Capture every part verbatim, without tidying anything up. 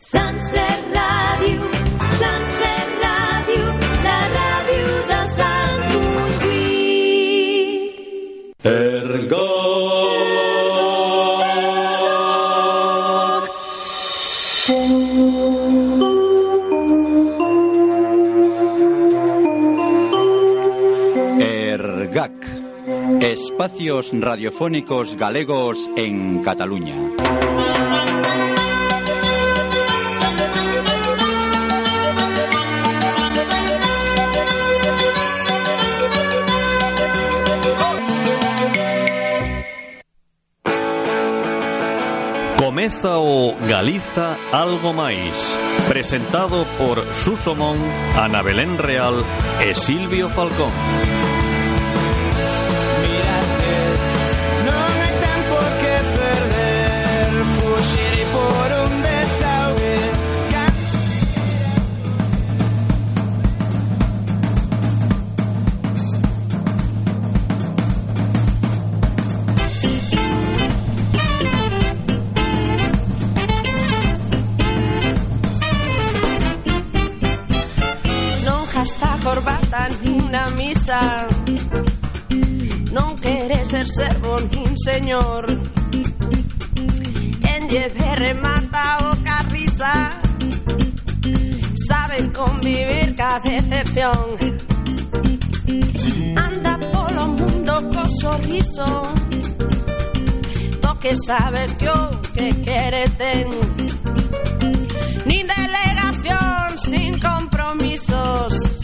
Sants de Ràdio, Sants de Ràdio, la ràdio de Sants Montjuïc. Ergoc. Ergac. Espacios radiofónicos galegos en Cataluña. Comeza o Galiza Algo Máis, presentado por Suso Mon, Ana Belén Real e Silvio Falcón. Na misa non quere ser servo nin señor, quen lleve remata o carriza, saben convivir ca decepción, anda polo mundo co sorriso, do que sabe que o que quere ten, nin delegacións nin compromisos,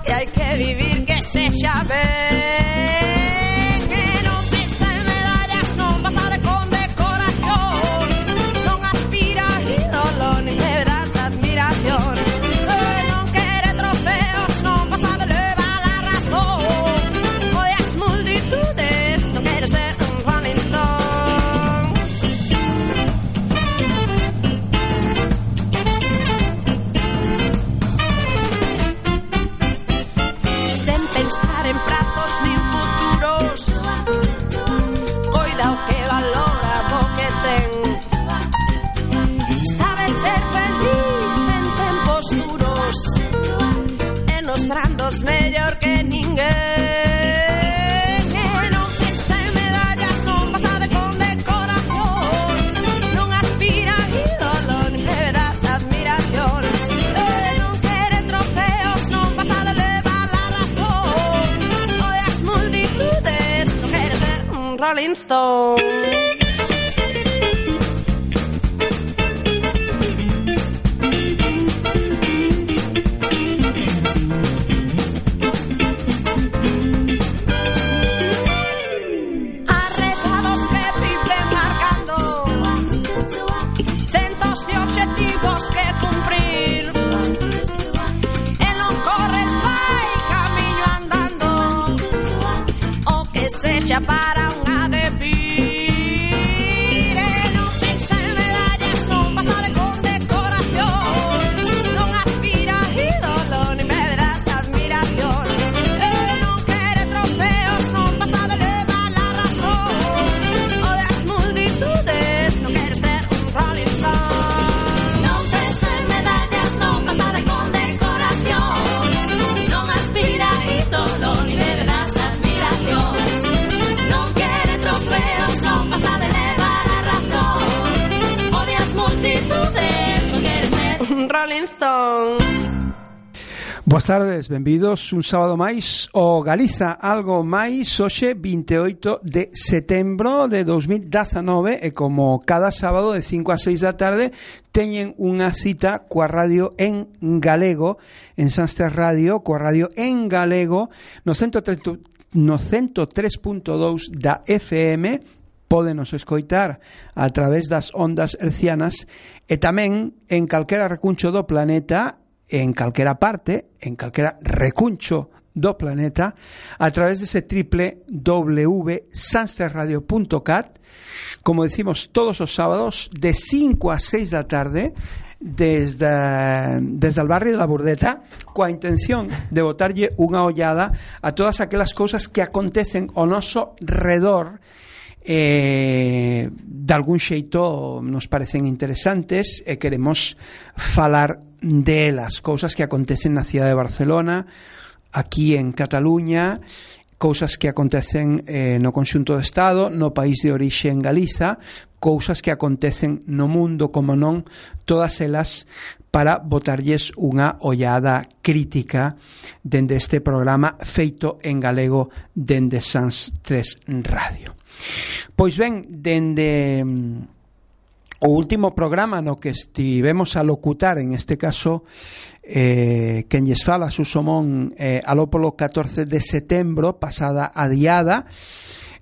que hai que vivir que sexa ben, que non pensa en medallas, non pasa de condecoracións, non aspira a ídolo nin medallas de admiración, non quere trofeos, non pasa de levar a razón, oi as multitudes, non quere ser un Rolling Stone. Pensar en prazos nin futuros, coida o que valora o que ten, sabe ser feliz en tempos duros e nos brandos mellor que ninguén, e non pensa en medallas, non pasa de condecoracións, non aspira a ídolo nin verás admiracións, e non quere trofeos, non pasa de Rolling Stone. Arredados que viven marcando centos de objetivos que cumprir, e non corre, vai camiño andando, o que sexa para Rolling Stone. Boas tardes, benvidos un sábado máis o Galiza Algo Máis, hoxe vinte e oito de setembro de dos mil dezanove, e como cada sábado de cinco a seis da tarde teñen unha cita coa radio en galego en Sanster Radio, coa radio en galego no ciento tres punto dous da F M. Pódenos escoitar a través das ondas hercianas e tamén en calquera recuncho do planeta, en calquera parte, en calquera recuncho do planeta, a través dese triple w punto sansterradio punto cat, como decimos todos os sábados de cinco a seis da tarde, desde, desde el barrio de la Burdeta, coa intención de botarlle unha ollada a todas aquelas cousas que acontecen ao noso redor eh, de algún xeito nos parecen interesantes e queremos falar delas, cousas que acontecen na cidade de Barcelona, aquí en Cataluña, cousas que acontecen eh, no conxunto do Estado, no país de orixe en Galiza, cousas que acontecen no mundo, como non, todas elas para botarlles unha ollada crítica dende este programa feito en galego dende Sans tres Radio. Pois ben, dende o último programa no que estivemos a locutar, en este caso eh, quen lles fala, Suso Mon, eh, aló polo catorce de setembro, pasada a diada,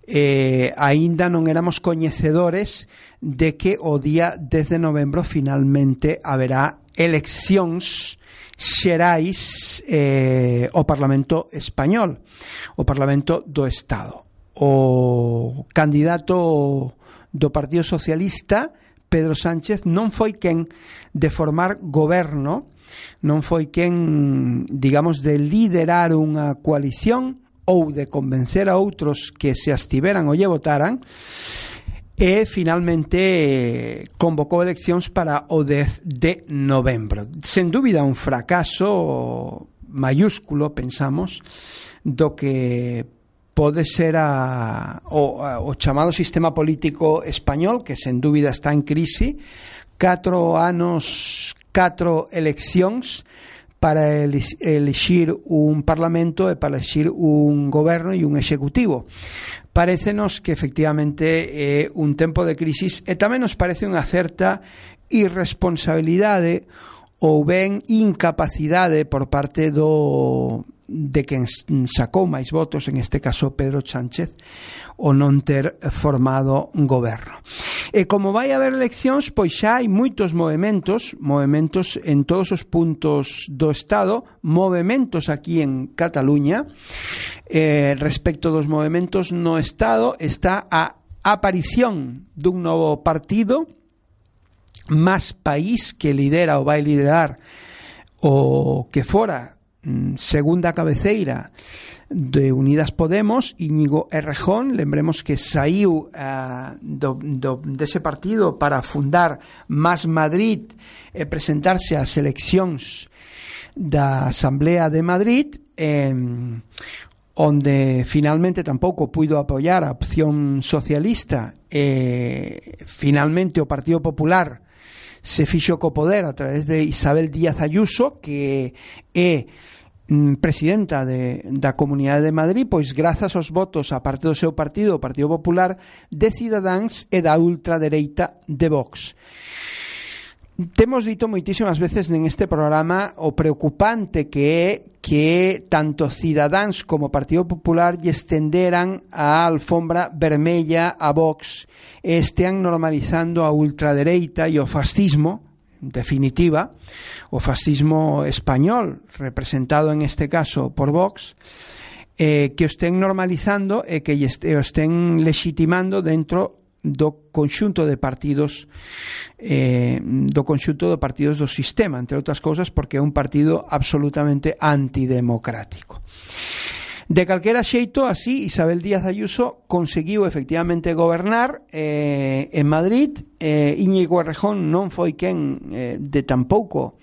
eh, aínda non éramos coñecedores de que o día dez de novembro finalmente haberá eleccións xerais eh, ao Parlamento Español, o Parlamento do Estado. O candidato do Partido Socialista, Pedro Sánchez, non foi quen de formar goberno, non foi quen, digamos, de liderar unha coalición ou de convencer a outros que se abstiveran ou lle votaran, e finalmente convocou eleccións para o dez de novembro. Sen dúbida un fracaso mayúsculo, pensamos, do que pode ser a, o, a, o chamado sistema político español, que sen dúbida está en crise. Catro anos, catro eleccións para elixir un parlamento e para elixir un goberno e un executivo. Parécenos que efectivamente é un tempo de crisis, e tamén nos parece unha certa irresponsabilidade ou ben incapacidade por parte do de quen sacou máis votos, en este caso Pedro Sánchez, o non ter formado un goberno. E como vai haber eleccións, pois xa hai moitos movementos, movementos en todos os puntos do Estado, movementos aquí en Cataluña. Eh, respecto dos movementos no Estado, está a aparición dun novo partido, Más País, que lidera ou vai liderar o que fora segunda cabeceira de Unidas Podemos, Íñigo Errejón. Lembremos que saiu uh, do, do, dese partido para fundar Más Madrid e presentarse ás eleccións da Asamblea de Madrid, eh, onde finalmente tampouco puido apoiar a opción socialista, e finalmente o Partido Popular se fixo co poder a través de Isabel Díaz Ayuso, que é presidenta de, da Comunidade de Madrid, pois grazas aos votos a parte do seu partido, o Partido Popular, de Cidadáns e da ultradereita de Vox. Temos dito moitísimas veces neste programa o preocupante que é que tanto Cidadáns como Partido Popular lle estenderan a alfombra vermella a Vox e estean normalizando a ultradereita e o fascismo, en definitiva, o fascismo español, representado en este caso por Vox, eh, que o estén normalizando e que o estén legitimando dentro do conxunto de partidos eh, do conxunto de partidos do sistema, entre outras cousas porque é un partido absolutamente antidemocrático. De calquera xeito, así, Isabel Díaz Ayuso conseguiu efectivamente gobernar eh, en Madrid. eh, Íñigo Errejón non foi quen eh, de tampouco,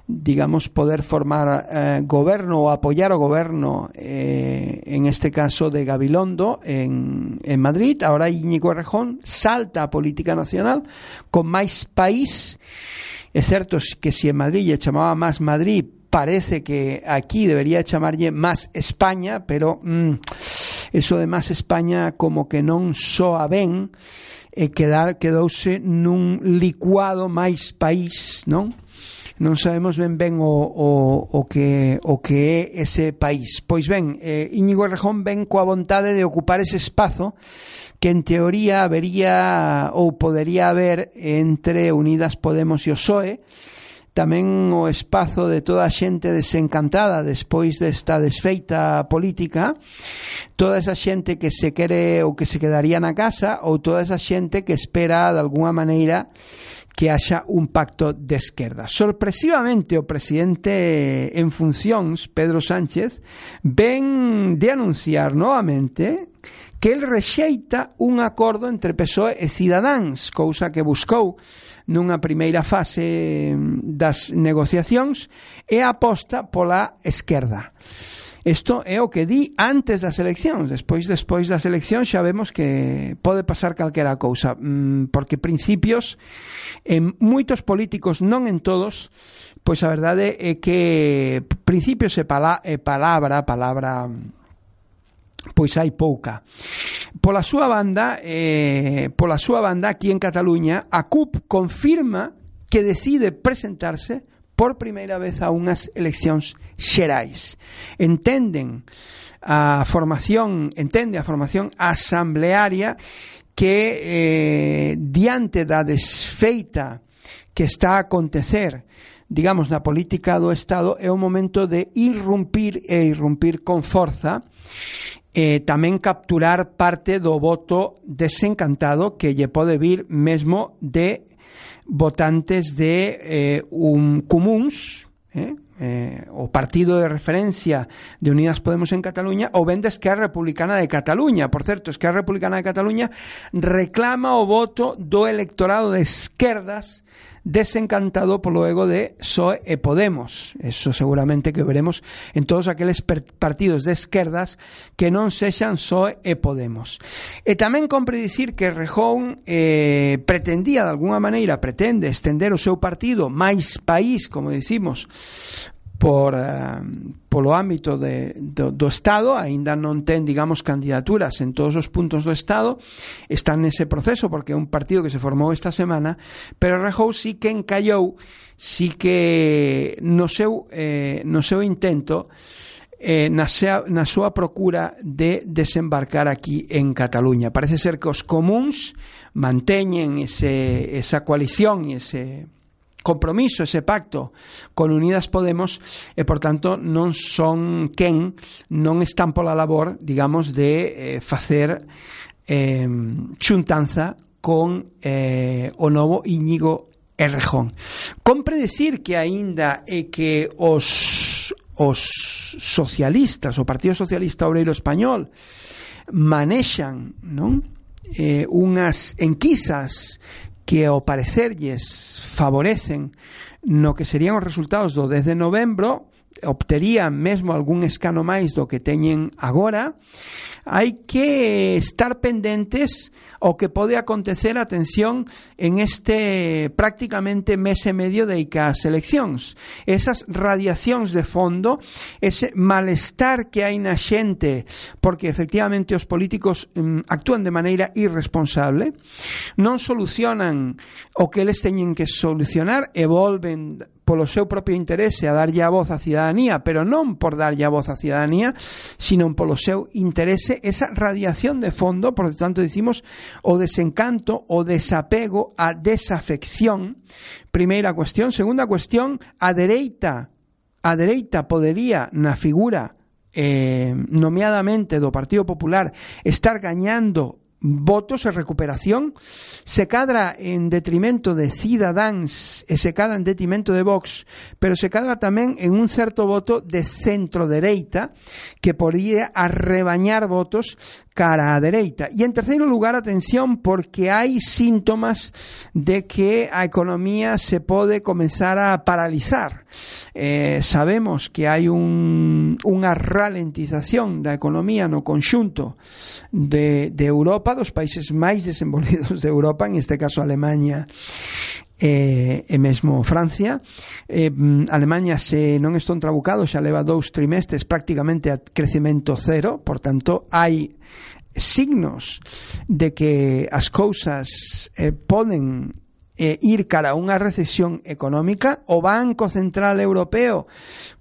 digamos, poder formar eh, goberno ou apoiar o goberno, eh, en este caso de Gabilondo en, en Madrid. Ahora Íñigo Errejón salta a política nacional con Máis País. É certo que si en Madrid lle chamaba Más Madrid, parece que aquí debería chamarlle Más España, pero mmm, eso de Más España como que non soa ben, e quedar, quedouse nun licuado Máis País, non? Non sabemos ben ben o, o, o, que, o que é ese país. Pois ben, eh, Íñigo Errejón ven coa vontade de ocupar ese espazo que en teoría habería ou podería haber entre Unidas Podemos e o P S O E, tamén o espazo de toda a xente desencantada despois desta desfeita política, toda esa xente que se quere ou que se quedaría na casa, ou toda esa xente que espera de alguna maneira que haxa un pacto de esquerda. Sorpresivamente, o presidente en funcións, Pedro Sánchez, ven de anunciar novamente que el rexeita un acordo entre P S O E e Cidadáns, cousa que buscou nunha primeira fase das negociacións e aposta pola esquerda. Isto é o que di antes das eleccións. Despois despois das eleccións xa vemos que pode pasar calquera cousa, porque principios en moitos políticos, non en todos, pois a verdade é que principios e, pala, e palabra palabra pois hai pouca. Pola súa banda eh, pola súa banda aquí en Cataluña, a C U P confirma que decide presentarse por primeira vez a unhas eleccións xerais. Entenden a formación, entende a formación asamblearia que eh, diante da desfeita que está a acontecer, digamos, na política do Estado, é o momento de irrumpir e irrumpir con forza, eh, tamén capturar parte do voto desencantado que lle pode vir mesmo de votantes de eh, un comuns, eh, eh, o partido de referencia de Unidas Podemos en Cataluña, ou ben de Esquerra Republicana de Cataluña. Por certo, Esquerra Republicana de Cataluña reclama o voto do electorado de esquerdas desencantado polo ego de P S O E e Podemos. Eso seguramente que veremos en todos aqueles partidos de esquerdas que non sexan P S O E e Podemos. E tamén compre dicir que Rejón eh, pretendía de alguna maneira, pretende estender o seu partido máis país, como dicimos, por uh, polo ámbito de, do, do Estado. Aínda non ten, digamos, candidaturas en todos os puntos do Estado, están nese proceso porque é un partido que se formou esta semana, pero Rajoy sí que encallou, sí que no seu, eh, no seu intento, eh, na, sea, na súa procura de desembarcar aquí en Cataluña. Parece ser que os comuns manteñen ese, esa coalición e ese compromiso, ese pacto con Unidas Podemos, e por tanto non son quen, non están pola labor, digamos, de eh, facer eh, xuntanza con eh, o novo Íñigo Errejón. Compre decir que aínda é que os os socialistas, o Partido Socialista Obreiro Español manexan, non? Eh, unhas enquisas que ao parecerlles favorecen no que serían os resultados do dez de novembro, obterían mesmo algún escano máis do que teñen agora. Hai que estar pendentes o que pode acontecer, atención, en este prácticamente mes e medio de as eleccións. Esas radiacións de fondo, ese malestar que hai na xente porque efectivamente os políticos um, actúan de maneira irresponsable, non solucionan o que eles teñen que solucionar e volven polo seu propio interese a darlle a voz á cidadanía, pero non por darlle a voz á cidadanía, sino polo seu interese, esa radiación de fondo. Por lo tanto, dicimos o desencanto, o desapego, a desafección. Primeira cuestión. Segunda cuestión, a dereita, a dereita podería, na figura eh, nomeadamente do Partido Popular, estar gañando votos e recuperación, se cadra en detrimento de Cidadáns e se cadra en detrimento de Vox, pero se cadra tamén en un certo voto de centro-dereita que podría arrebañar votos cara á dereita. E en terceiro lugar, atención, porque hai síntomas de que a economía se pode comenzar a paralizar. Eh, sabemos que hai un, unha ralentización da economía no conxunto de, de Europa, dos países máis desenvolvidos de Europa, en este caso Alemania e, e mesmo Francia. eh, Alemania, se non estou trabucado, xa leva dous trimestres prácticamente a crecemento cero. Por tanto, hai signos de que as cousas eh, poden eh, ir cara a unha recesión económica. O Banco Central Europeo,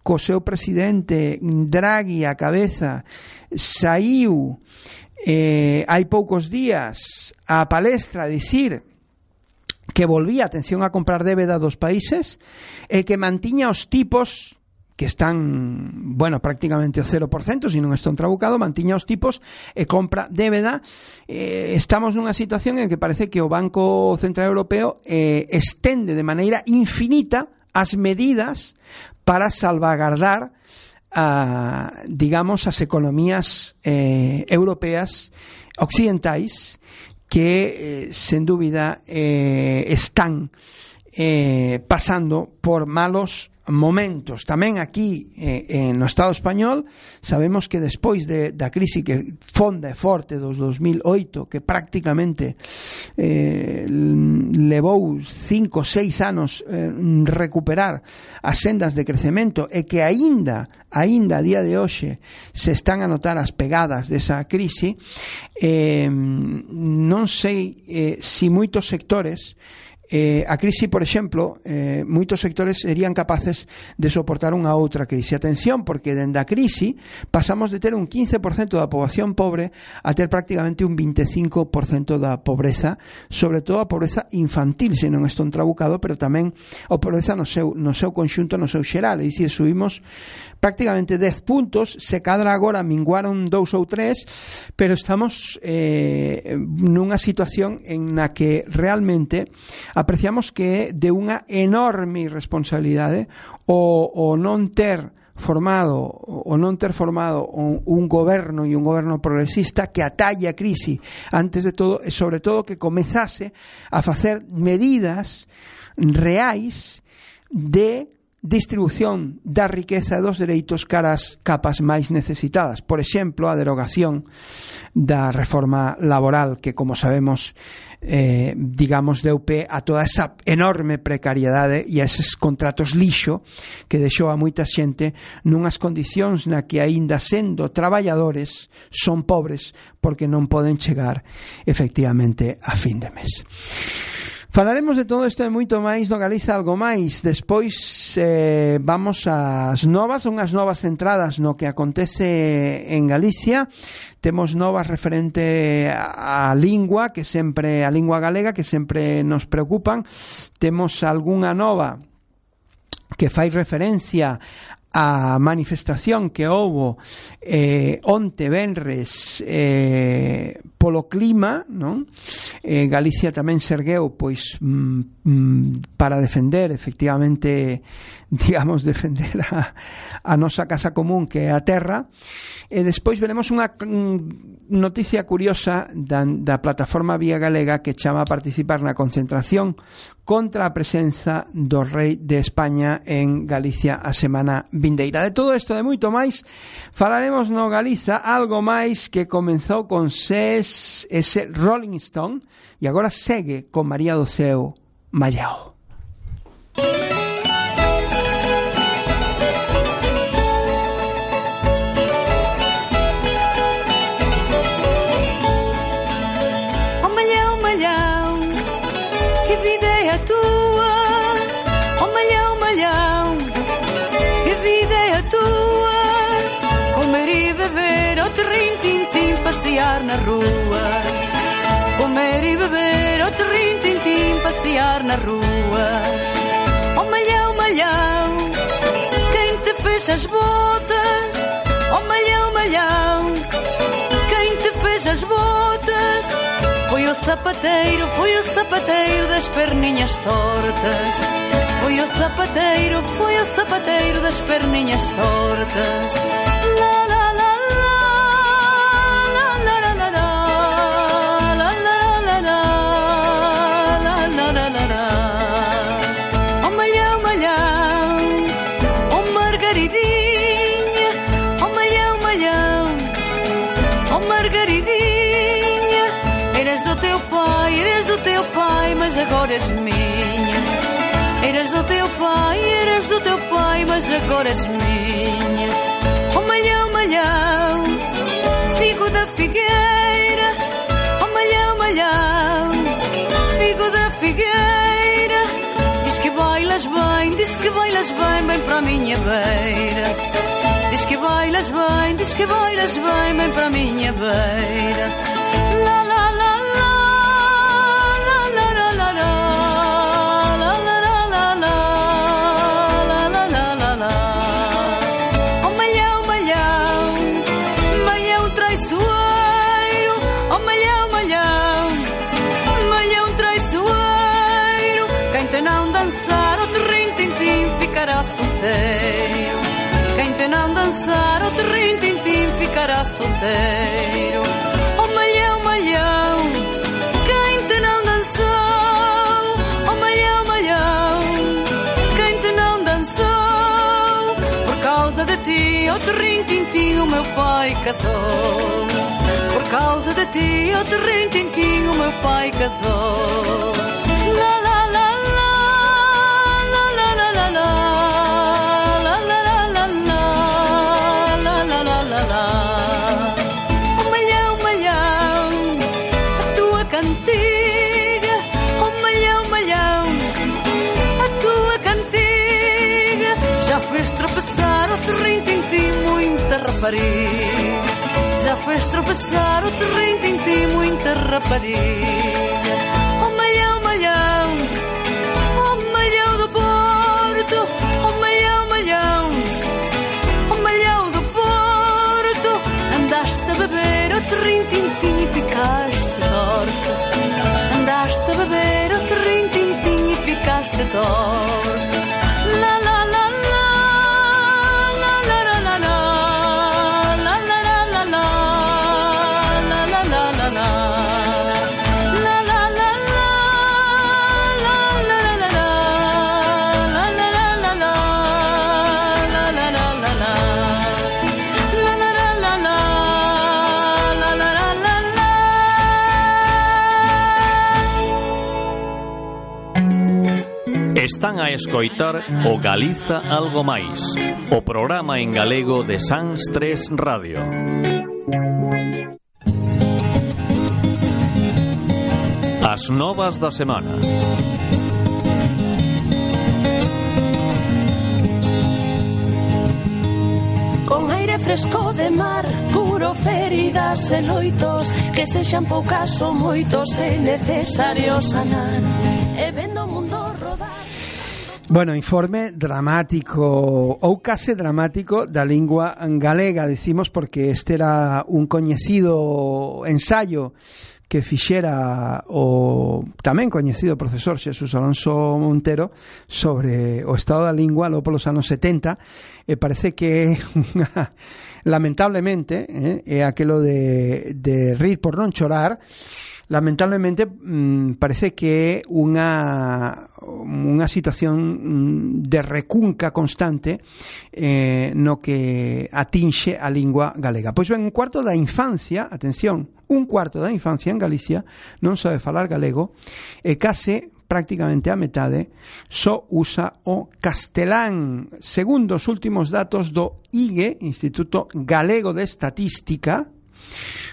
co seu presidente Draghi a cabeza, saiu eh, hai poucos días a palestra a dicir que volvía, atención, a comprar débeda dos países e que mantiña os tipos que están, bueno, prácticamente ao cero por cento, se non están trabucado, mantiña os tipos e compra débeda. Eh, estamos nunha situación en que parece que o Banco Central Europeo eh, estende de maneira infinita as medidas para salvagardar a, digamos, as economías eh, europeas occidentais que, eh, sen dúbida, eh, están eh, pasando por malos momentos. Tamén aquí eh, no Estado español sabemos que despois de, da crise que fonda e forte dos dos mil oito, que prácticamente eh, levou cinco, seis anos eh, recuperar as sendas de crecemento e que aínda aínda a día de hoxe se están a notar as pegadas desa crise, eh, non sei eh, si moitos sectores Eh, a crise, por exemplo, eh, moitos sectores serían capaces de soportar unha outra crise. Atención, porque dende a crise pasamos de ter un quince por cento da poboación pobre a ter prácticamente un veinticinco por cento da pobreza, sobre todo a pobreza infantil, se non estou trabucado, pero tamén a pobreza no seu, no seu conxunto, no seu xeral. É dicir, subimos prácticamente dez puntos, se cadra agora minguaron dous ou tres, pero estamos eh, nunha situación en na que realmente apreciamos que é de unha enorme irresponsabilidade o, o non ter formado o non ter formado un, un goberno e un goberno progresista que atalle a crise antes de todo e sobre todo que comezase a facer medidas reais de distribución da riqueza e dos dereitos caras capas máis necesitadas. Por exemplo, a derogación da reforma laboral que, como sabemos, eh, digamos, deu pé a toda esa enorme precariedade e a eses contratos lixo que deixou a moita xente nunhas condicións na que aínda sendo traballadores son pobres porque non poden chegar efectivamente a fin de mes. Falaremos de todo isto e moito máis no Galiza Algo Máis. Despois eh, vamos ás novas, unhas novas entradas no que acontece en Galicia. Temos novas referente á lingua, que sempre a lingua galega, que sempre nos preocupan. Temos algunha nova que fai referencia a manifestación que houbo eh, onte venres eh, polo clima, non? Eh, Galicia tamén se ergueu pois mm, mm, para defender efectivamente, digamos, defender a, a nosa casa común que é a terra. E despois veremos unha noticia curiosa da, da plataforma Vía Galega que chama a participar na concentración contra a presenza do rei de España en Galicia a semana vindeira. De todo isto e moito máis falaremos no Galiza Algo Máis, que comenzou con ses, ese Rolling Stone e agora segue con María do Ceo Mallao. Passear na rua, comer e beber, outro rin-tin-tin, passear na rua. Oh malhão, malhão, quem te fez as botas? Oh malhão, malhão, quem te fez as botas? Foi o sapateiro, foi o sapateiro das perninhas tortas. Foi o sapateiro, foi o sapateiro das perninhas tortas. La la la teu pai, mas agora és minha. Eras do teu pai, eras do teu pai, mas agora és minha. Oh malhão, malhão, figo da figueira. Oh malhão, malhão, figo da figueira. Diz que bailas bem, diz que bailas bem, bem para a minha beira. Diz que bailas bem, diz que bailas bem, bem para a minha beira. La la la la. Quem te não dançar trintintín ficarás solteiro. Oh malhão, malhão, quem te não dançou? Oh malhão, malhão, quem te não dançou? Por causa de ti, oh trintintim, o meu pai casou. Por causa de ti, oh trintintim, o meu pai casou. La la la la, la la la la la, la la la la la, la la la la la. Oh malhão, malhão, a tua cantiga. Oh malhão, malhão, a tua cantiga já fez tropeçar o trintintim muita rapariga. Já fez tropeçar o trintintim muita rapariga. Oh malhão, malhão, oh malhão do Porto. Oh malhão, malhão, oh malhão do Porto. Andaste a beber o trintintim e ficaste torto. Andaste a beber o trintintim e ficaste torto. La la la la, la la la la la, la la la la la, la la la la la, la la la la, la la la la la, la la la la la, la la la la la, la la la la la, la la la la la. Están a escoitar o Galiza Algo Máis, o programa en galego de Sans tres Radio. As novas da semana. Con aire fresco de mar, curo feridas e loitos, que sexan poucas ou moitos, é necesario sanar. E vendo o mundo rodar. Bueno, informe dramático ou case dramático da lingua galega, decimos, porque este era un coñecido ensaio que fixera o tamén coñecido profesor Xesús Alonso Montero sobre o estado da lingua logo polos anos setenta, e parece que lamentablemente eh, é aquelo de, de rir por non chorar. Lamentablemente mmm, parece que é unha unha situación de recunca constante eh, no que atinxe a lingua galega. Pois ben, un cuarto da infancia, atención, un cuarto da infancia en Galicia non sabe falar galego e case prácticamente a metade só usa o castelán. Segundo os últimos datos do I G E, Instituto Galego de Estatística,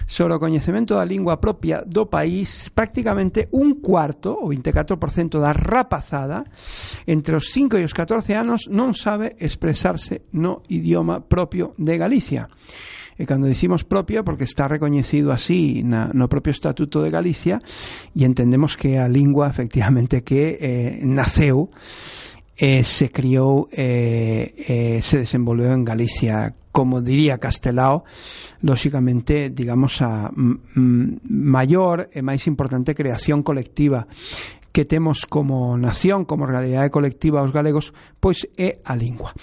sobre o coñecemento da lingua propia do país, prácticamente un cuarto, o vinte e catro por cento da rapazada entre os cinco e os catorce anos non sabe expresarse no idioma propio de Galicia. E cando dicimos propio, porque está recoñecido así na, no propio Estatuto de Galicia, e entendemos que a lingua efectivamente que eh, naceu eh, se criou eh, eh, se desenvolveu en Galicia, como diría Castelao, lóxicamente, digamos, a m- maior e máis importante creación colectiva que temos como nación, como realidade colectiva os galegos, pois é a lingua.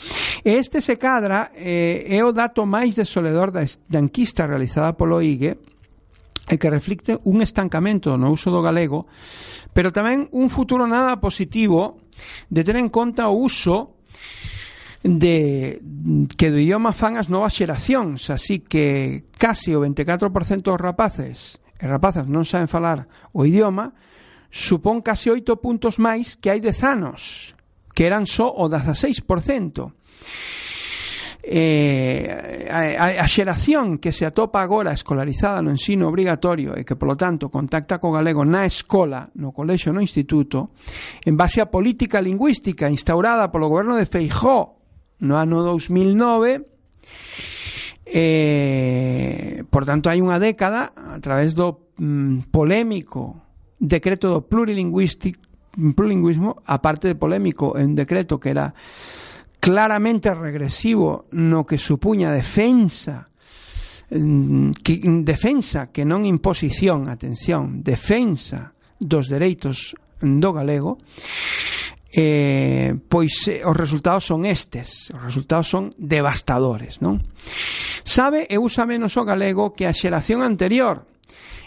E este se cadra eh, é o dato máis desolador da, da enquista realizada polo I G E, e que reflicte un estancamento no uso do galego, pero tamén un futuro nada positivo de ter en conta o uso de que do idioma fan as novas xeracións, así que casi o vinte e catro por cento dos rapaces e rapazas non saben falar o idioma, supón casi oito puntos máis que hai dez anos, que eran só o dezaseis por cento. Eh, a, a xeración que se atopa agora escolarizada no ensino obrigatorio e que, polo tanto, contacta co galego na escola, no colexo, no instituto, en base á política lingüística instaurada polo goberno de Feijóo no ano dous mil nove, eh, por tanto hai unha década, a través do mm, polémico decreto do plurilingüismo, aparte de polémico, en decreto que era claramente regresivo no que supuña defensa que, defensa que non imposición, atención, defensa dos dereitos do galego. eh, pois eh, os resultados son estes, os resultados son devastadores, non? Sabe e usa menos o galego que a xeración anterior,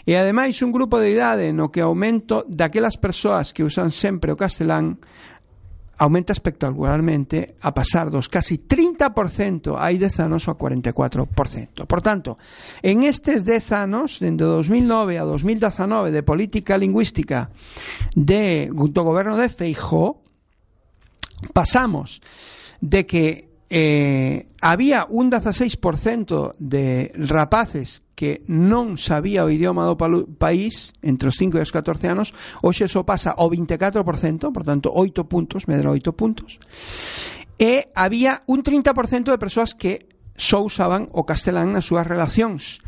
e ademais un grupo de idade no que o aumento daquelas persoas que usan sempre o castelán aumenta espectacularmente a pasar dos casi trinta por cento hai dez anos ao cuarenta e catro por cento. Por tanto, en estes dez anos, dende dos mil nove a dos mil dezanove de política lingüística de, do goberno de Feijóo, pasamos de que eh, había un dieciséis por cento de rapaces que non sabía o idioma do país entre os cinco e os catorce anos, hoxe só pasa ao vinte e catro por cento, por tanto, oito puntos, medra oito puntos, e había un trinta por cento de persoas que só usaban o castelán nas súas relacións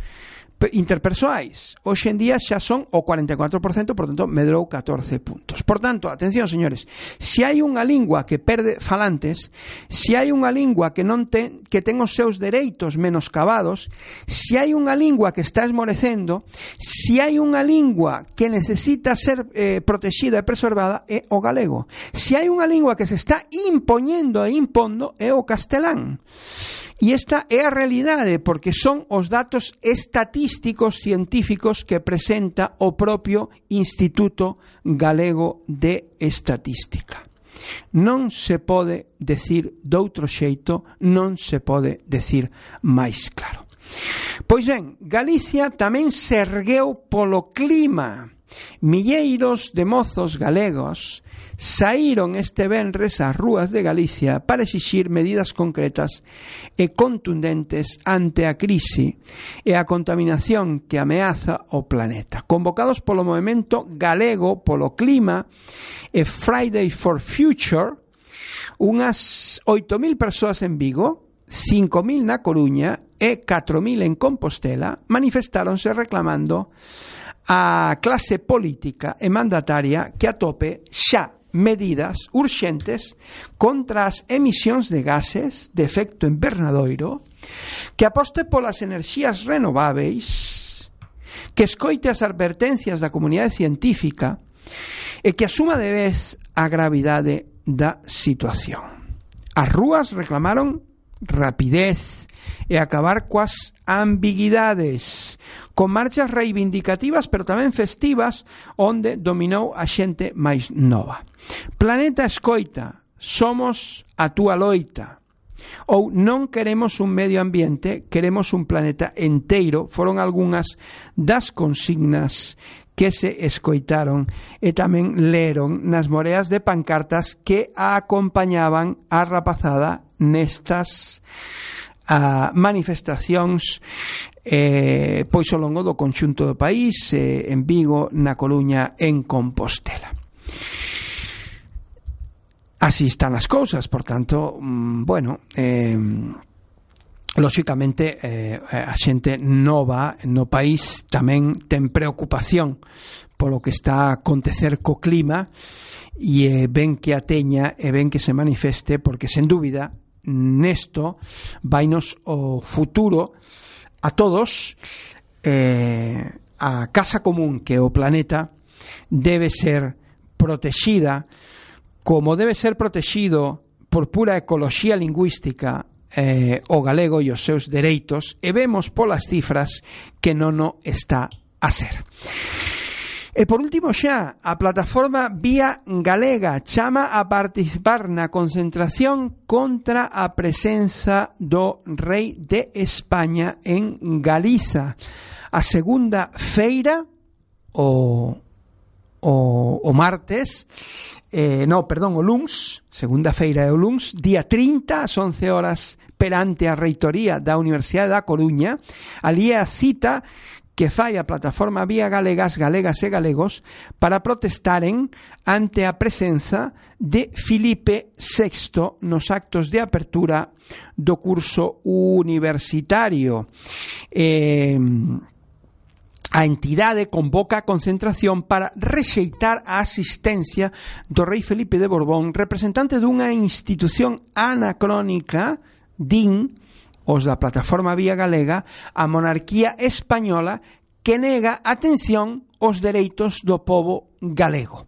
interpersoais. Hoxe en día xa son o cuarenta e catro por cento, por tanto, medrou catorce puntos. Por tanto, atención, señores, se hai unha lingua que perde falantes, se hai unha lingua que non ten, que ten os seus dereitos menoscabados, se hai unha lingua que está esmorecendo, se hai unha lingua que necesita ser eh, protexida e preservada, é o galego. Se hai unha lingua que se está impoñendo e impondo, é o castelán. E esta é a realidade, porque son os datos estatísticos científicos que presenta o propio Instituto Galego de Estatística. Non se pode decir doutro xeito, non se pode decir máis claro. Pois ben, Galicia tamén se ergueu polo clima. Milleiros de mozos galegos saíron este venres ás rúas de Galicia para exixir medidas concretas e contundentes ante a crise e a contaminación que ameaza o planeta. Convocados polo movemento galego polo clima e Friday for Future, unhas oito mil persoas en Vigo, cinco mil na Coruña e catro mil en Compostela manifestáronse reclamando a clase política e mandataria que atope xa medidas urxentes contra as emisións de gases de efecto invernadoiro, que aposte polas enerxías renováveis, que escoite as advertencias da comunidade científica e que asuma de vez a gravidade da situación. As rúas reclamaron rapidez e acabar coas ambiguidades, con marchas reivindicativas pero tamén festivas, onde dominou a xente máis nova. Planeta escoita, somos a túa loita. Ou non queremos un medio ambiente, queremos un planeta enteiro, foron algunhas das consignas que se escoitaron e tamén leron nas moreas de pancartas que a acompañaban a rapazada nestas a manifestacións eh, pois ao longo do conxunto do país, eh, en Vigo, na Coruña, en Compostela. Así están as cousas, por tanto, mm, bueno, eh, lóxicamente eh, a xente nova no país tamén ten preocupación polo que está a acontecer co clima e eh, ven que a teña e ven que se manifeste, porque sen dúbida nesto vainos o futuro a todos. Eh, a casa común que o planeta debe ser protexida como debe ser protexido por pura ecoloxía lingüística eh, o galego e os seus dereitos, e vemos polas cifras que non o está a ser. E por último xa, a plataforma Vía Galega chama a participar na concentración contra a presenza do rei de España en Galiza. A segunda feira, o, o, o martes, eh, no, perdón, o luns, segunda feira é o luns, día trinta, ás once horas, perante a reitoría da Universidade da Coruña. Ali é a cita que fai a plataforma Vía Galegas, Galegas e Galegos para protestaren ante a presenza de Filipe sexto nos actos de apertura do curso universitario. Eh, a entidade convoca a concentración para rexeitar a asistencia do rei Felipe de Borbón, representante dunha institución anacrónica, din os da plataforma Vía Galega, a monarquía española, que nega atención os dereitos do pobo galego.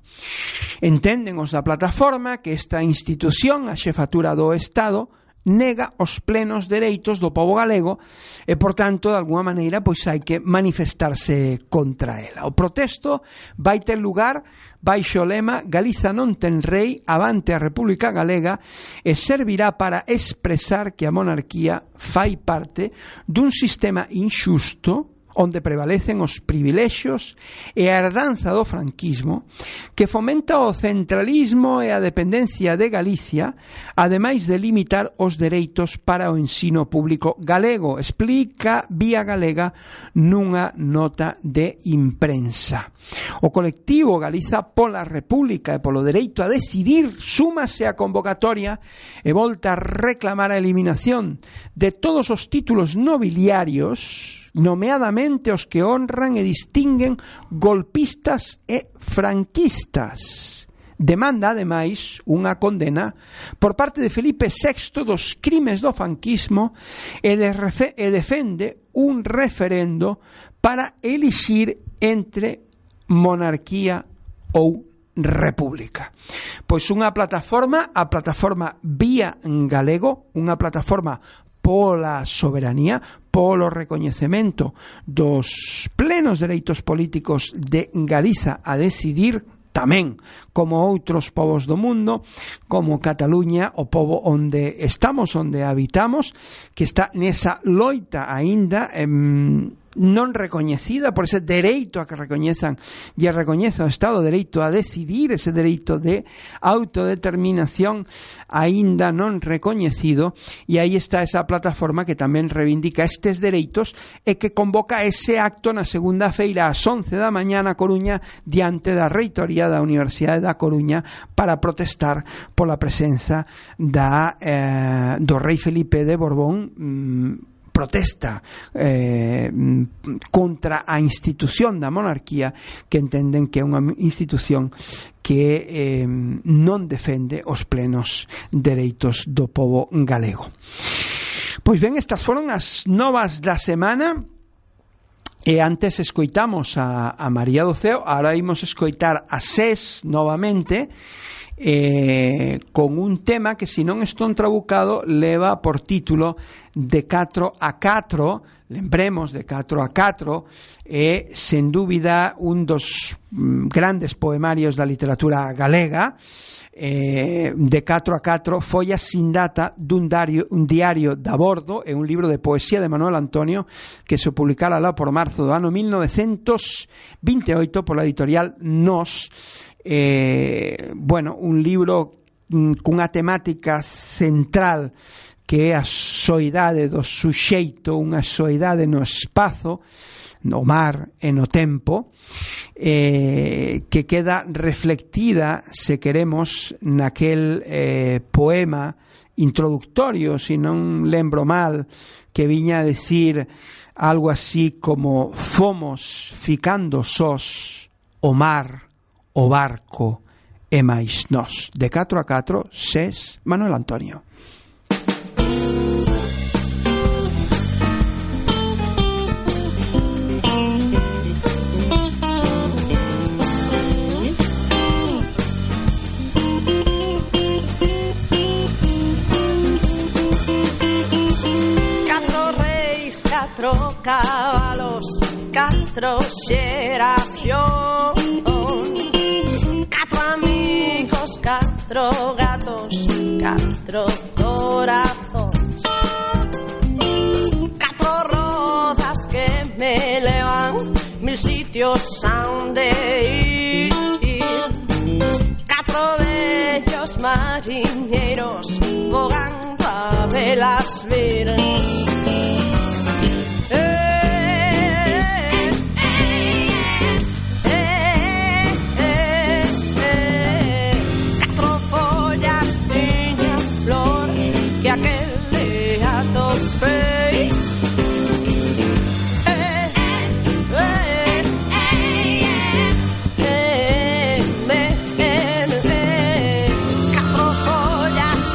Entenden os da plataforma que esta institución, a xefatura do Estado, nega os plenos dereitos do pobo galego e, por tanto, de alguma maneira, pois hai que manifestarse contra ela. O protesto vai ter lugar baixo o lema Galiza non ten rei, avante a República Galega, e servirá para expresar que a monarquía fai parte dun sistema inxusto onde prevalecen os privilexios e a herdanza do franquismo, que fomenta o centralismo e a dependencia de Galicia, ademais de limitar os dereitos para o ensino público galego, explica Vía Galega nunha nota de imprensa. O colectivo Galiza pola República e polo dereito a decidir súmase a convocatoria e volta a reclamar a eliminación de todos os títulos nobiliarios, nomeadamente os que honran e distinguen golpistas e franquistas. Demanda, ademais, unha condena por parte de Felipe sexto dos crimes do franquismo e, de refe- e defende un referendo para elixir entre monarquía ou república. Pois unha plataforma, a plataforma Vía Galego, unha plataforma pola soberanía, polo recoñecemento dos plenos dereitos políticos de Galiza a decidir, tamén como outros povos do mundo, como Cataluña, o povo onde estamos, onde habitamos, que está nesa loita aínda em, non recoñecida por ese dereito a que recoñezan e recoñeza o Estado, dereito a decidir, ese dereito de autodeterminación aínda non recoñecido, e aí está esa plataforma que tamén reivindica estes dereitos e que convoca ese acto na segunda feira ás once da mañá na Coruña diante da reitoría da Universidade da Coruña para protestar pola presenza da, eh, do rei Felipe de Borbón, mm, protesta eh, contra a institución da monarquía, que entenden que é unha institución que eh, non defende os plenos dereitos do pobo galego. Pois ben, estas foron as novas da semana. E antes escoitamos a, a María do Ceo, ahora imos escoitar a SES novamente, eh, con un tema que, se non estou trabucado, leva por título De catro a catro, lembremos, De catro a catro, é, sen dúbida, un dos mm, grandes poemarios da literatura galega. Eh, De catro a catro foi a sin data dun diario, un diario de a bordo, é un libro de poesía de Manuel Antonio que se publicara lá por marzo do ano mil novecientos veintioito pola editorial Nos. Eh, bueno, un libro mm, cunha temática central que é a soidade do suxeito, unha soidade no espazo, no mar e no tempo, eh, que queda reflectida, se queremos, naquel eh, poema introductorio, se non lembro mal, que viña a decir algo así como: fomos ficando sós, o mar, o barco e máis nós. De catro a catro, SES, Manuel Antonio. Catro cabalos, catro xeracións, catro amigos, catro gatos, catro corazóns, catro rodas que me levan mil sitios a onde ir, catro bellos mariñeros vogando a velas vir. Catro follas,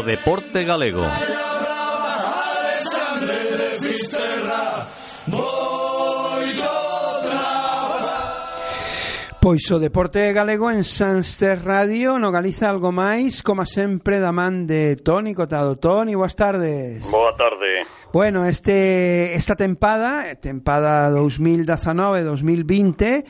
deporte galego. Pois o deporte galego en Sanster Radio no Galiza Algo Máis, como sempre da man de Toni Cotado. Toni, boas tardes. Boa tarde. Bueno, este esta tempada, tempada dos mil dezanove dos mil vinte,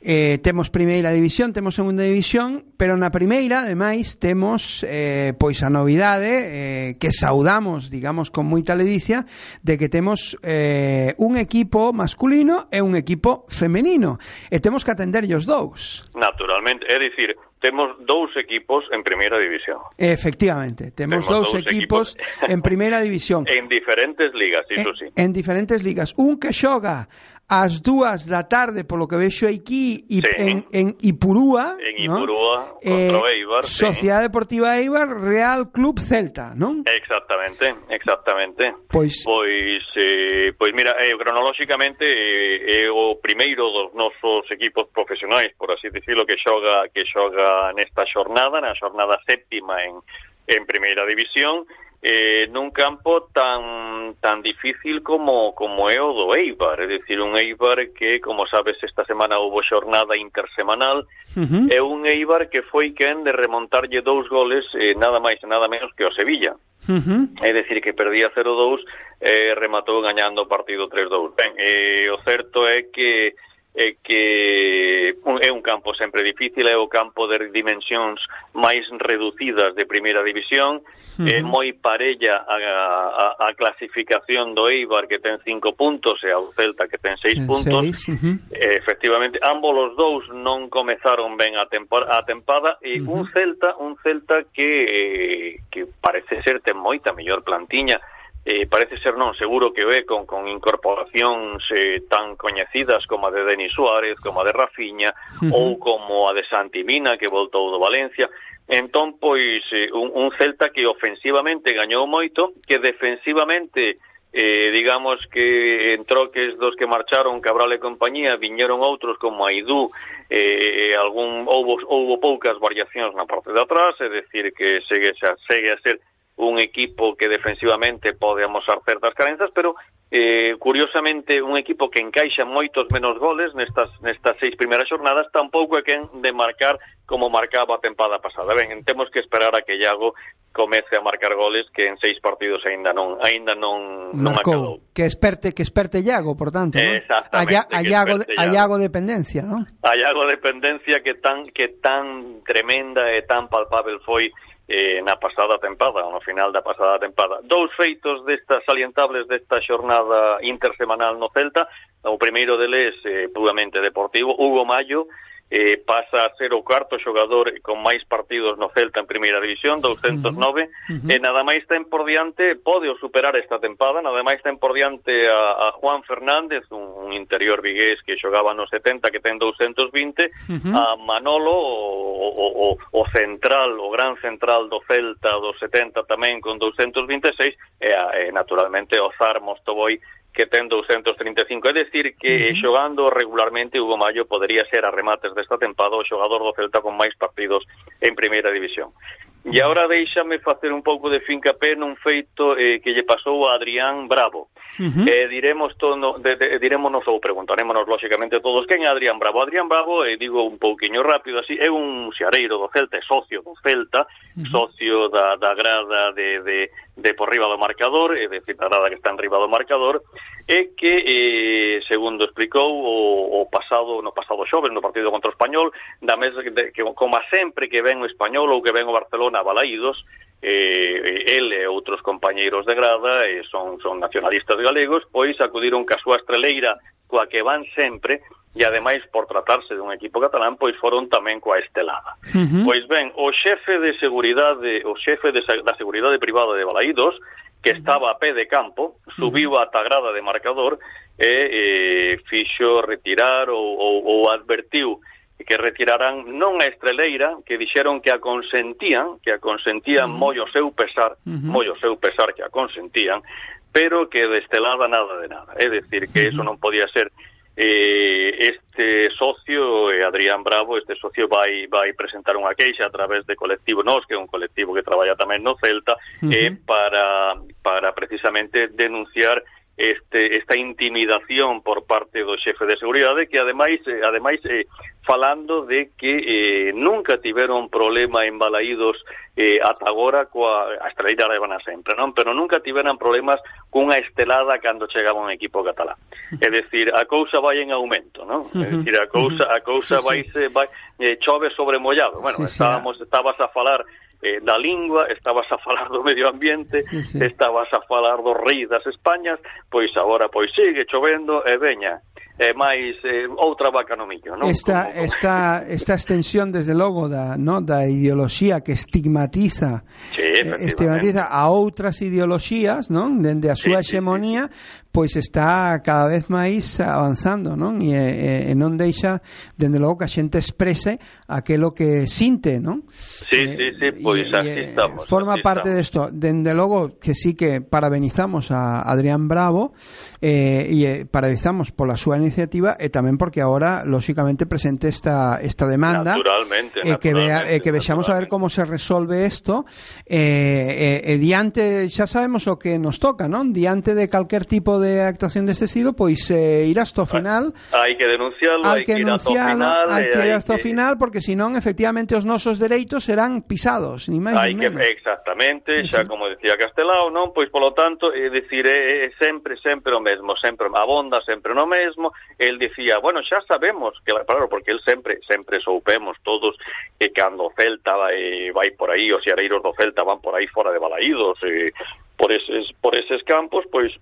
eh, temos primeira división, temos segunda división, pero na primeira, ademais, temos eh, pois a novidade eh, que saudamos, digamos, con moita ledicia, de que temos eh, un equipo masculino e un equipo femenino, e temos que atenderlle os dous. Naturalmente, é dicir, temos dous equipos en primeira división. Efectivamente, temos, temos dous, dous equipos, equipos en primeira división. En diferentes ligas, iso sí. En, en diferentes ligas. Un que xoga ás dúas da tarde, polo que vexo aquí, sí. en, en Ipurúa, en Ipurúa, ¿no? Contra eh, o Eibar, Sociedade sí. Deportiva Eibar, Real Club Celta, non? Exactamente, exactamente. Pois, pois, eh, pois mira, eh, cronolóxicamente é eh, o primeiro dos nosos equipos profesionais, por así dicirlo, que xoga que xoga nesta xornada, na xornada séptima en en primeira división. Eh, nun campo tan tan difícil como como é o do Eibar, é dicir, un Eibar que, como sabes, esta semana houve xornada intersemanal, uh-huh. é un Eibar que foi quen de remontarlle dous goles, eh, nada máis e nada menos que o Sevilla. Uh-huh. É dicir, que perdía cero dous, eh, rematou gañando o partido tres dous. Ben, eh, o certo é que é que é un campo sempre difícil, é o campo de dimensións máis reducidas de primeira división, uh-huh. é moi parella a, a, a clasificación do Eibar, que ten cinco puntos, e ao Celta, que ten seis puntos. Seis, uh-huh. Efectivamente, ambos os dous non comezaron ben a, tempor- a tempada, e uh-huh. un Celta un Celta que, que parece ser ten moita mellor plantiña. Eh, parece ser non, seguro que ve con, con incorporacións eh, tan coñecidas como a de Denis Suárez, como a de Rafinha, uh-huh. ou como a de Santi Mina, que voltou do Valencia. Entón, pois, eh, un, un Celta que ofensivamente gañou moito, que defensivamente, eh, digamos que en troques dos que marcharon, Cabral e compañía, viñeron outros como Aidú, eh, algún, houbo, houbo poucas variacións na parte de atrás, é dicir, que segue, segue a ser un equipo que defensivamente pode amosar certas carenzas, pero eh, curiosamente un equipo que encaixa moitos menos goles nestas nestas seis primeiras xornadas, tampouco é quen de marcar como marcaba a tempada pasada. Ben, temos que esperar a que Iago comece a marcar goles, que en seis partidos aínda non aínda non non acabou. Que esperte, que esperte Iago, por tanto, ¿no? Exactamente. A, a, Iago, a Iago dependencia, ¿no? A Iago dependencia que tan que tan tremenda e tan palpável foi Eh, na pasada tempada, no final da pasada tempada. Dous feitos destas salientables desta xornada intersemanal no Celta. O primeiro deles, eh, puramente deportivo, Hugo Mallo, eh, pasa a ser o cuarto xogador con máis partidos no Celta en primeira división, doscientos nove, uh-huh. Uh-huh. e nada máis ten por diante, pode o superar esta tempada, nada máis ten por diante a, a Juan Fernández, un, un interior vigués que xogaba no setenta, que ten doscientos vinte, uh-huh. a Manolo, o, o, o, o central, o gran central do Celta do setenta tamén con doscientos vinte e seis, e, a, e naturalmente o Zar Mostoboi, que ten doscientos trinta e cinco, é dicir que uh-huh. xogando regularmente Hugo Mallo podería ser a remates desta tempada o xogador do Celta con máis partidos en primeira división. E agora deixame facer un pouco de fincapé nun feito eh, que lle pasou a Adrián Bravo. Uh-huh. Eh, diremos todo, de, de, dirémonos ou preguntarémonos lóxicamente todos quen é Adrián Bravo. Adrián Bravo, eh, digo un pouquiño rápido así, é un xareiro do Celta, é socio do Celta, uh-huh. socio da, da grada de, de, de por riba do marcador, é dicir, a grada que está en riba do marcador, e que, eh, segundo explicou o, o pasado, no pasado xoves, no partido contra o Español, da mes de, que, como sempre que ven o Español ou que ven o Barcelona balaídos, eh, el e outros compañeiros de grada eh, son, son nacionalistas galegos, pois acudiron ca súa estreleira coa que van sempre, e ademais por tratarse de un equipo catalán, pois foron tamén coa estelada. Uh-huh. Pois ben, o xefe de seguridade, o xefe de, da seguridade privada de Balaídos, que estaba a pé de campo, subiu a tagrada de marcador e eh, fixo retirar ou, ou, ou advertiu que retiraran non a estreleira, que dixeron que a consentían, que a consentían uh-huh. moi o seu pesar, uh-huh. moi o seu pesar que a consentían, pero que de estelada nada de nada. É dicir, que eso non podía ser eh, este socio, eh, Adrián Bravo, este socio vai vai presentar unha queixa a través de Colectivo Nos, que é un colectivo que traballa tamén no Celta, uh-huh. eh, para para precisamente denunciar este esta intimidación por parte do xefe de seguridade, que ademais eh, ademais eh, falando de que eh, nunca tiveron problema en Balaídos eh, ata agora coa a esteleira levan a sempre, non? Pero nunca tiveran problemas cunha estelada cando chegaba un equipo catalán. É dicir, a cousa vai en aumento, non? É dicir, a cousa a cousa sí, vai se vai eh, chove sobre mollado. Bueno, sí, estábamos sí. estabas a falar Eh, da lingua, estabas a falar do medio ambiente, sí, sí. estabas a falar do rei das Españas, pois agora pois sigue chovendo e veña e máis eh, outra vaca no millo, non? Esta, como, como... esta, esta extensión, desde logo, da, no, da ideoloxía que estigmatiza sí, estigmatiza a outras ideoloxías, non? Dende a súa sí, hexemonía, sí, sí. pois está cada vez máis avanzando, non? E, e, e non deixa, dende logo, que a xente exprese aquilo que sinte, non? Sí, eh, sí, sí, pois así e, estamos. Forma así parte estamos. desto, dende logo que sí que parabenizamos a Adrián Bravo eh, e parabenizamos pola súa iniciativa e tamén porque agora, lóxicamente, presente esta esta demanda. Naturalmente, eh, que vea, eh, que vexamos a ver como se resolve isto eh, eh, e diante, xa sabemos o que nos toca, non? Diante de calquer tipo de actuación deste estilo, pois eh, ir hasta o final. Hai que denunciarlo, hai que, que ir hasta o final, hai que ir hasta o que... final, porque senón efectivamente os nosos dereitos serán pisados, ni máis hai ni que, menos. Exactamente, xa como decía Castelao, non? Pois polo tanto, é dicir, é, é sempre sempre o mesmo, sempre abonda sempre no mesmo. El dicía, bueno, xa sabemos que, claro, porque el sempre sempre soupemos todos que cando o Celta vai, vai por aí, os xareiros do Celta van por aí fora de Balaídos, eh, por eses por eses campos, pois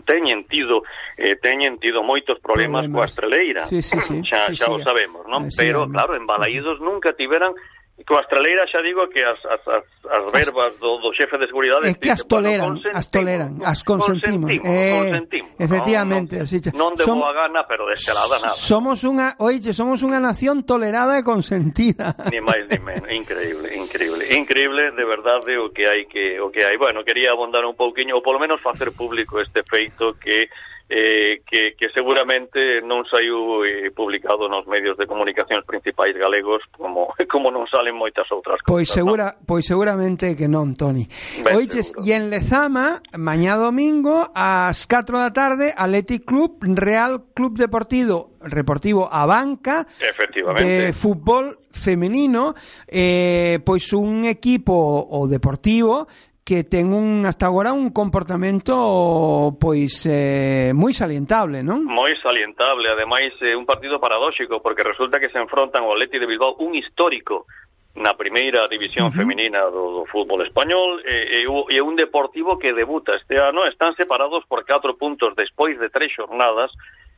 teñen tido eh, teñen tido moitos problemas, problemas. coa estreleira. Sí, sí, sí. xa, sí, xa sí, o sabemos, non? Sí, Pero sí, claro, en Balaídos nunca tiveran. Coa estreleira xa digo que as, as, as, as verbas do, do xefe de seguridade é que as toleran, bueno, as toleran, as consentimos, consentimos, eh, consentimos efectivamente, non, así, non de boa gana, pero de estelada nada. Somos unha, oye, somos unha nación tolerada e consentida. Ni máis ni menos, increíble, increíble, increíble de verdade o que hai que o que hai. Bueno, quería abondar un pouquiño ou polo menos facer público este feito que Eh, que, que seguramente non saiu eh, publicado nos medios de comunicacións principais galegos como como non salen moitas outras cousas. Pois segura, ¿no? Pois seguramente que non, Toni. Oiches, e en Lezama, mañá domingo ás catro da tarde, Athletic Club Real Club Deportivo Reportivo Abanca de fútbol femenino, eh, pois un equipo o deportivo que ten un hasta agora un comportamento pois eh, moi salientable, non? Moi salientable, ademais é eh, un partido paradóxico porque resulta que se enfrontan o Athletic de Bilbao, un histórico na primeira división uh-huh. feminina do, do fútbol español, e, e, e un Deportivo que debuta este ano. Están separados por catro puntos despois de tres xornadas.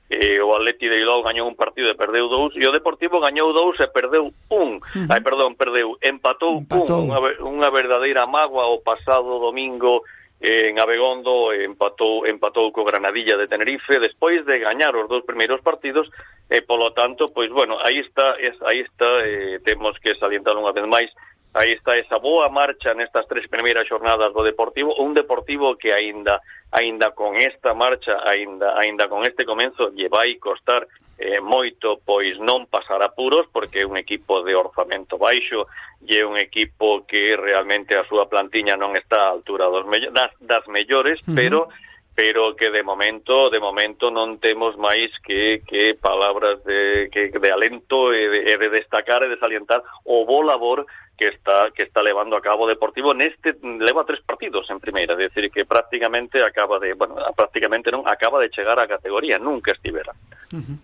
Eh, o Atleti de Bilbao gañou un partido e perdeu dous, e o Deportivo gañou dous e perdeu un. Uh-huh. Ai, perdón, perdeu, empatou, empatou. un, unha, unha verdadeira mágoa o pasado domingo eh, en Abegondo, empatou empatou co Granadilla de Tenerife despois de gañar os dous primeiros partidos, e polo tanto, pois bueno, aí está, es, aí está, eh, temos que salientar unha vez máis. Aí está esa boa marcha nestas tres primeiras xornadas do Deportivo, un Deportivo que aínda aínda con esta marcha, aínda aínda con este comenzo lle vai costar eh, moito pois non pasar apuros, porque é un equipo de orzamento baixo e é un equipo que realmente a súa plantiña non está á altura dos me- das, das mellores, uh-huh. pero pero que de momento de momento non temos máis que que palabras de que de alento e de, e de destacar e de salientar o bo labor que está que está levando a cabo Deportivo neste leva tres partidos en primeira, é dicir que prácticamente acaba de, bueno, prácticamente non acaba de chegar á categoría, nunca estivera. Uh-huh.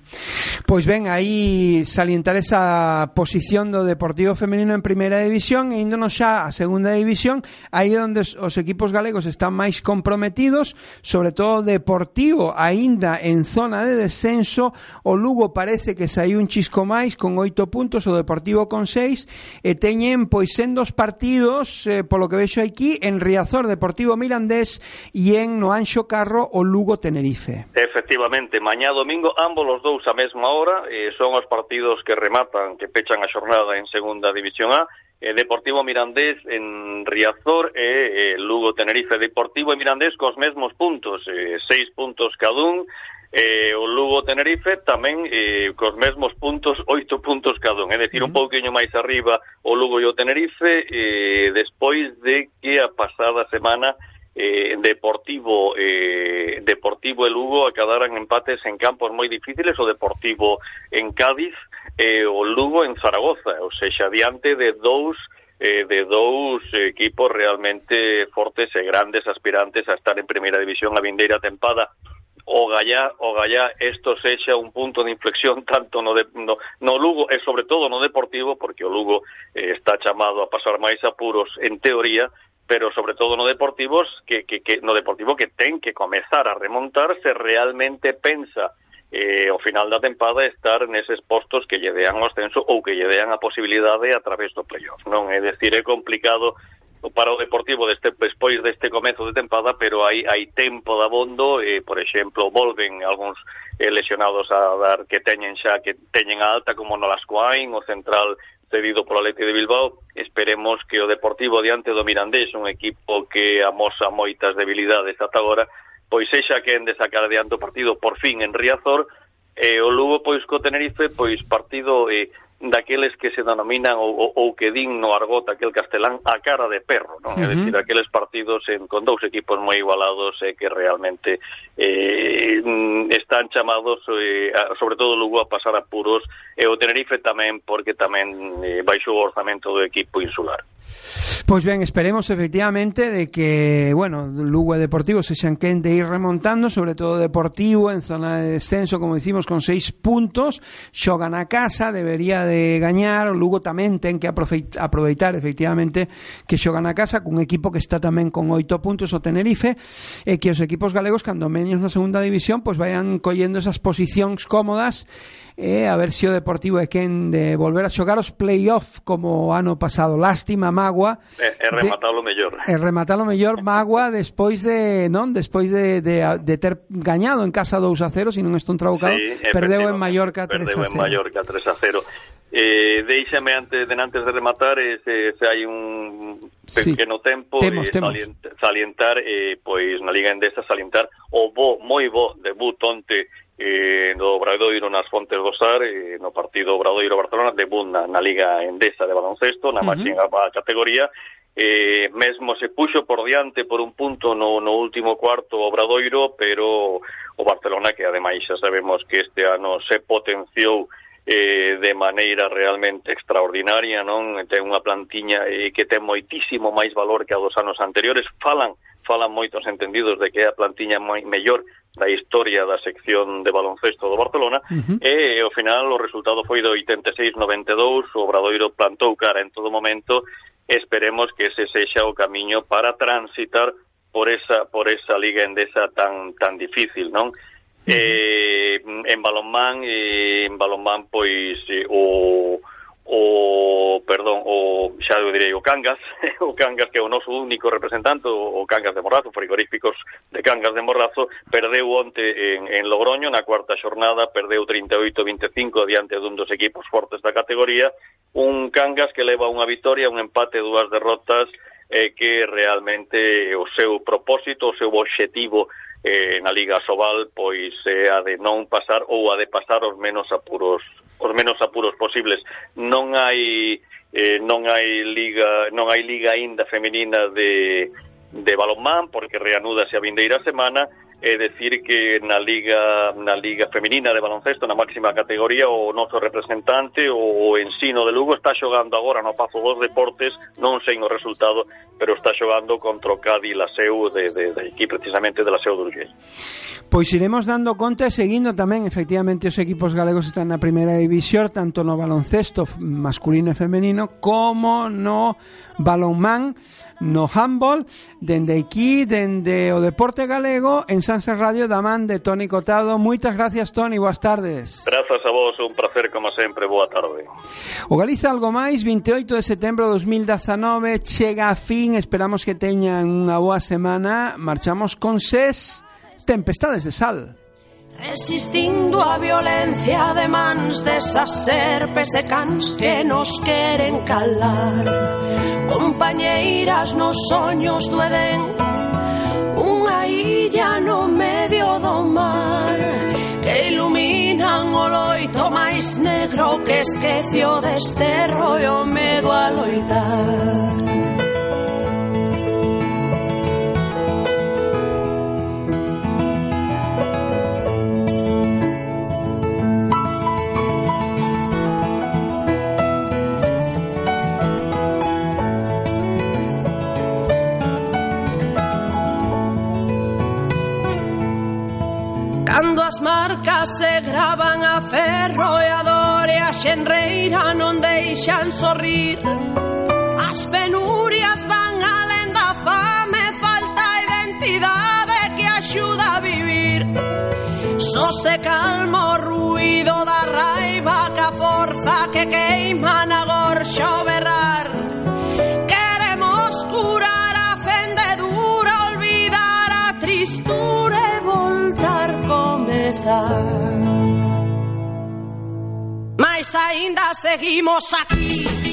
Pois ben, aí salientar esa posición do Deportivo femenino en primeira división e índonos xa a segunda división, aí onde os equipos galegos están máis comprometidos, sobre todo Deportivo aínda en zona de descenso. O Lugo parece que saiu un chisco máis con oito puntos, o Deportivo con seis, e teñen pois en dos partidos, eh, polo que vexo aquí, en Riazor Deportivo Mirandés e en no Anxo Carro o Lugo Tenerife. Efectivamente, mañá domingo ambos os dous a mesma hora, eh, son os partidos que rematan, que pechan a xornada en segunda división A, eh, Deportivo Mirandés en Riazor e eh, Lugo Tenerife. Deportivo e Mirandés cos mesmos puntos, eh, seis puntos cada un, eh, o Lugo Tenerife tamén eh, cos mesmos puntos, oito puntos cada un, é dicir, un pouquiño máis arriba o Lugo e o Tenerife, eh, despois de que a pasada semana Eh, Deportivo eh, Deportivo e Lugo acadaran empates en campos moi difíciles, o Deportivo en Cádiz e eh, o Lugo en Zaragoza, ou seja, diante de dous eh, de dous equipos realmente fortes e grandes aspirantes a estar en primeira división a vindeira tempada. O gallá, o gallá, isto sexa un punto de inflexión tanto no, de, no, no Lugo e sobre todo no Deportivo, porque o Lugo eh, está chamado a pasar máis apuros en teoría, pero sobre todo no Deportivos que, que, que no Deportivo que ten que comezar a remontar se realmente pensa eh, ao final da tempada estar neses postos que lle dean o ascenso ou que lle dean a posibilidade a través do playoff, non? É dicir, é complicado para o Deportivo deste, despois deste comezo de tempada, pero hai, hai tempo de abondo, eh, por exemplo, volven algúns eh, lesionados a dar que teñen xa, que teñen a alta, como no Lascoain, o central cedido polo Athletic de Bilbao. Esperemos que o Deportivo diante do Mirandés, un equipo que amosa moitas debilidades ata agora, pois sexa quen de sacar adiante o partido por fin en Riazor, e o Lugo pois co Tenerife, pois partido eh, daqueles que se denominan ou, ou, ou que din no argot aquel castelán a cara de perro, non? Uh-huh. É dicir, aqueles partidos en, con dous equipos moi igualados e eh, que realmente eh, están chamados eh, a, sobre todo Lugo a pasar apuros, e o Tenerife tamén, porque tamén eh, baixou o orzamento do equipo insular. Pois ben, esperemos efectivamente de que, bueno, Lugo e Deportivo se xan quen de ir remontando, sobre todo Deportivo en zona de descenso, como dicimos, con seis puntos, xogan a casa, debería de gañar, o Lugo tamén ten que aproveitar efectivamente que xogan a casa cun equipo que está tamén con oito puntos, o Tenerife, e que os equipos galegos, cando menos na segunda división, pois vayan collendo esas posicións cómodas, e a ver se o Deportivo é quen de volver a xogar os play-off como ano pasado. Lástima, Magua, é, é rematalo mellor é rematalo mellor Magua despois de non despois de, de, de ter gañado en casa dous a cero, se non estou traucado, sí, perdeu en Mallorca tres a cero. Perdeu en Mallorca tres a cero. Eh, deixame antes de antes de rematar, eh, se, se hai un pequeno sí. tempo temos, eh, temos. Salientar, salientar eh, pois na Liga Endesa salientar o bo, moi bo debut onte eh, do Obradoiro nas Fontes do Sar, eh, no partido Obradoiro-Barcelona, debut na, na Liga Endesa de baloncesto, na uh-huh. máxima categoría. Eh, mesmo se puxo por diante por un punto no, no último cuarto Obradoiro, pero o Barcelona, que ademais xa sabemos que este ano se potenciou eh, de maneira realmente extraordinaria, non? Ten unha plantiña eh, que ten moitísimo máis valor que a dos anos anteriores. Falan falan moitos entendidos de que é a plantiña moi mellor da historia da sección de baloncesto do Barcelona, uh-huh. e ao final o resultado foi de oitenta e seis a noventa e dous, o Obradoiro plantou cara en todo momento. Esperemos que ese sexa o camiño para transitar por esa por esa Liga Endesa tan tan difícil, non? Uh-huh. Eh, en balonmán, eh, en balonmán pois eh, o o perdón, o xa eu direi o Cangas, o Cangas que é o noso único representante, o Cangas de Morrazo, frigoríficos de Cangas de Morrazo, perdeu onte en, en Logroño na cuarta xornada, perdeu trinta e oito a vinte e cinco diante dun dos equipos fortes da categoría, un Cangas que leva unha vitoria, un empate, dúas derrotas, eh, que realmente o seu propósito, o seu obxectivo eh, na Liga Sobal pois é a de non pasar ou a de pasar os menos apuros os menos apuros posibles. Non hai eh, non hai liga non hai liga aínda feminina de de balonmán porque reanúdase a vindeira semana, é decir que na liga na liga feminina de baloncesto na máxima categoría o noso representante o Ensino de Lugo está xogando agora no Pazo dos Deportes, non sei o resultado, pero está xogando contra o Cádiz Laseu de, de, de aquí precisamente de Laseu do Urgell. Pois iremos dando conta e seguindo tamén efectivamente os equipos galegos están na primeira división, tanto no baloncesto masculino e femenino como no balonmán, no handball, dende aquí, dende o deporte galego en Sanse Radio da man de Toni Cotado. Moitas gracias, Toni, boas tardes. Grazas a vos, un placer como sempre, boa tarde. O Galiza Algo Máis, vinte e oito de setembro de dos mil dezanove, chega a fin, esperamos que teñan unha boa semana. Marchamos con Ses, Tempestades de Sal. Resistindo a violencia de mans desas serpes e cans que nos queren calar. Compañeiras nos soños do Edén, unha illa no medio do mar, que iluminan o loito máis negro que esquece o desterro e o medo a loitar. Cando as marcas se gravan a ferro e a dor e a xenreira non deixan sorrir, as penurias van alén da fame, falta identidade que axuda a vivir. Só se calma o ruído da raiva que a forza que queima na gorxa o berrar. Queremos curar a fendedura, olvidar a tristura e voltar comezar. Mas aínda seguimos aquí.